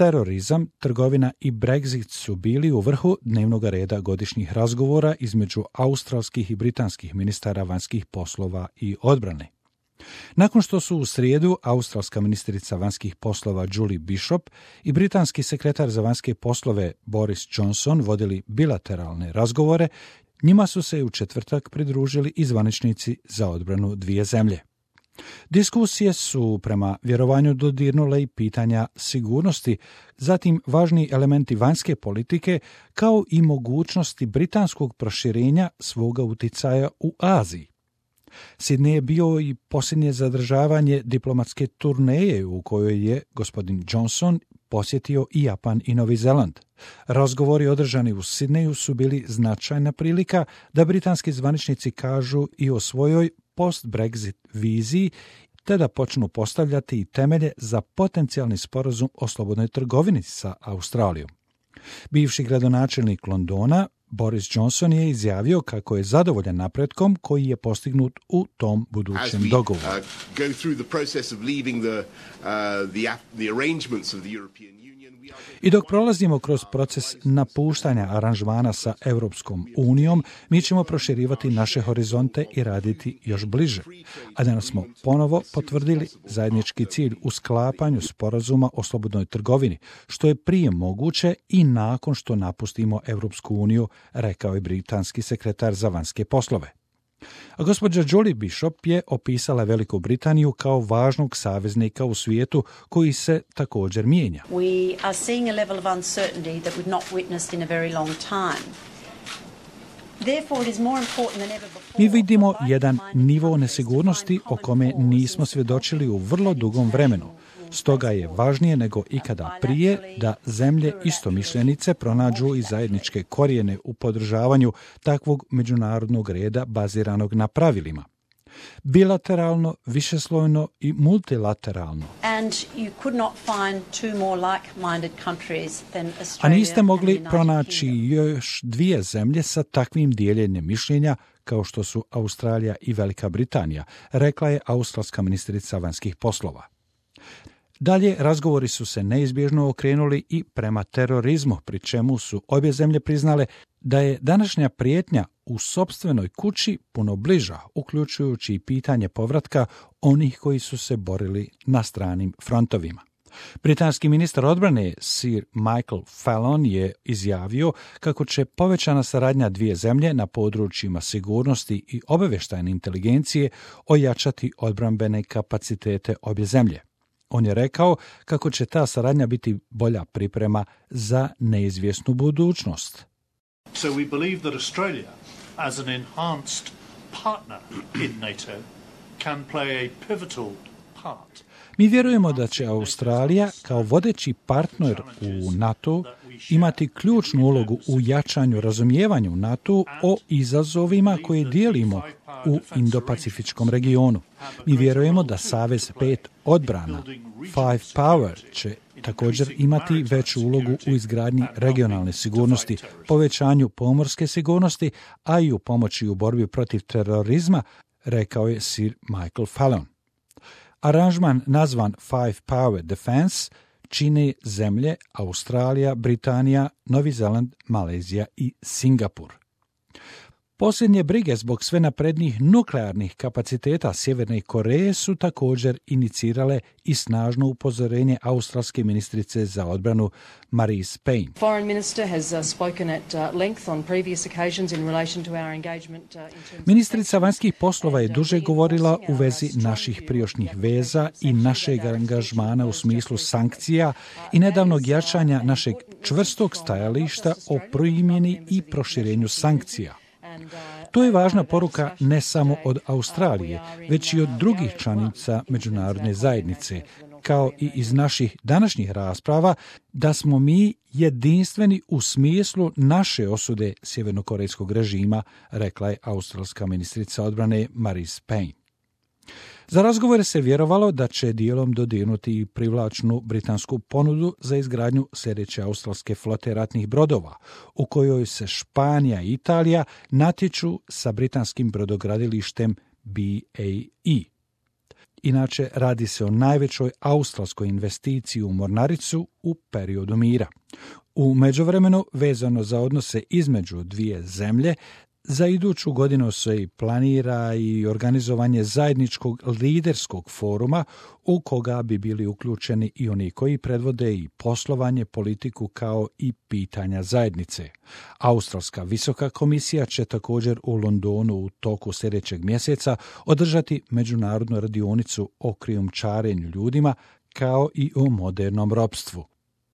Terorizam, trgovina i Brexit su bili u vrhu dnevnog reda godišnjih razgovora između australskih i britanskih ministara vanjskih poslova i odbrane. Nakon što su u srijedu australska ministrica vanjskih poslova Julie Bishop i britanski sekretar za vanjske poslove Boris Johnson vodili bilateralne razgovore, njima su se u četvrtak pridružili i zvaničnici za odbranu dvije zemlje. Diskusije su prema vjerovanju dodirnule i pitanja sigurnosti, zatim važni elementi vanjske politike, kao i mogućnosti britanskog proširenja svoga uticaja u Aziji. Sydney je bio i posljednje zadržavanje diplomatske turneje u kojoj je gospodin Johnson posjetio i Japan i Novi Zeland. Razgovori održani u Sydneyu su bili značajna prilika da britanski zvaničnici kažu i o svojoj post-Brexit viziji, te da počnu postavljati i temelje za potencijalni sporazum o slobodnoj trgovini sa Australijom. Bivši gradonačelnik Londona, Boris Johnson, je izjavio kako je zadovoljan napretkom koji je postignut u tom budućem dogovoru. I dok prolazimo kroz proces napuštanja aranžmana sa Europskom unijom, mi ćemo proširivati naše horizonte i raditi još bliže. A danas smo ponovo potvrdili zajednički cilj u sklapanju sporazuma o slobodnoj trgovini, što je prije moguće i nakon što napustimo Europsku uniju, rekao je britanski sekretar za vanjske poslove. A gospođa Julie Bishop je opisala Veliku Britaniju kao važnog saveznika u svijetu koji se također mijenja. We are seeing a level of uncertainty that we've not witnessed in a very long time. Therefore, it is more important than ever before. Mi vidimo jedan nivo nesigurnosti o kome nismo svjedočili u vrlo dugom vremenu. Stoga je važnije nego ikada prije da zemlje istomišljenice pronađu i zajedničke korijene u podržavanju takvog međunarodnog reda baziranog na pravilima. Bilateralno, višeslojno i multilateralno. A niste mogli pronaći još dvije zemlje sa takvim dijeljenjem mišljenja kao što su Australija i Velika Britanija, rekla je australska ministrica vanjskih poslova. Dalje, razgovori su se neizbježno okrenuli i prema terorizmu, pri čemu su obje zemlje priznale da je današnja prijetnja u sopstvenoj kući puno bliža, uključujući i pitanje povratka onih koji su se borili na stranim frontovima. Britanski ministar odbrane Sir Michael Fallon je izjavio kako će povećana saradnja dvije zemlje na područjima sigurnosti i obavještajne inteligencije ojačati odbrambene kapacitete obje zemlje. On je rekao kako će ta saradnja biti bolja priprema za neizvjesnu budućnost. So we believe that Australia, as an enhanced partner in NATO, can play a pivotal part. Mi vjerujemo da će Australija kao vodeći partner u NATO imati ključnu ulogu u jačanju razumijevanja u NATO o izazovima koje dijelimo u Indo-Pacifičkom regionu. Mi vjerujemo da Savez 5 odbrana, Five Power, će također imati veću ulogu u izgradnji regionalne sigurnosti, povećanju pomorske sigurnosti, a i u pomoći u borbi protiv terorizma, rekao je Sir Michael Fallon. Aranžman nazvan Five Power Defense čine zemlje Australija, Britanija, Novi Zeland, Malezija i Singapur. Posljednje brige zbog sve naprednijih nuklearnih kapaciteta Sjeverne Koreje su također inicirale i snažno upozorenje australske ministrice za odbranu Marise Payne. Foreign Minister has spoken at length on previous occasions in relation to our engagement. Ministrica vanjskih poslova je duže govorila u vezi naših prijašnjih veza i našeg angažmana u smislu sankcija i nedavnog jačanja našeg čvrstog stajališta o primjeni i proširenju sankcija. To je važna poruka ne samo od Australije, već i od drugih članica međunarodne zajednice, kao i iz naših današnjih rasprava, da smo mi jedinstveni u smislu naše osude sjevernokorejskog režima, rekla je australska ministrica odbrane Marise Payne. Za razgovore se vjerovalo da će dijelom dodirnuti i privlačnu britansku ponudu za izgradnju sljedeće australske flote ratnih brodova, u kojoj se Španija i Italija natječu sa britanskim brodogradilištem BAE. Inače, radi se o najvećoj australskoj investiciji u mornaricu u periodu mira. U međuvremenu, vezano za odnose između dvije zemlje, za iduću godinu se i planira i organizovanje zajedničkog liderskog foruma u koga bi bili uključeni i oni koji predvode i poslovanje, politiku kao i pitanja zajednice. Australska visoka komisija će također u Londonu u toku sljedećeg mjeseca održati međunarodnu radionicu o krijumčarenju ljudima kao i o modernom ropstvu.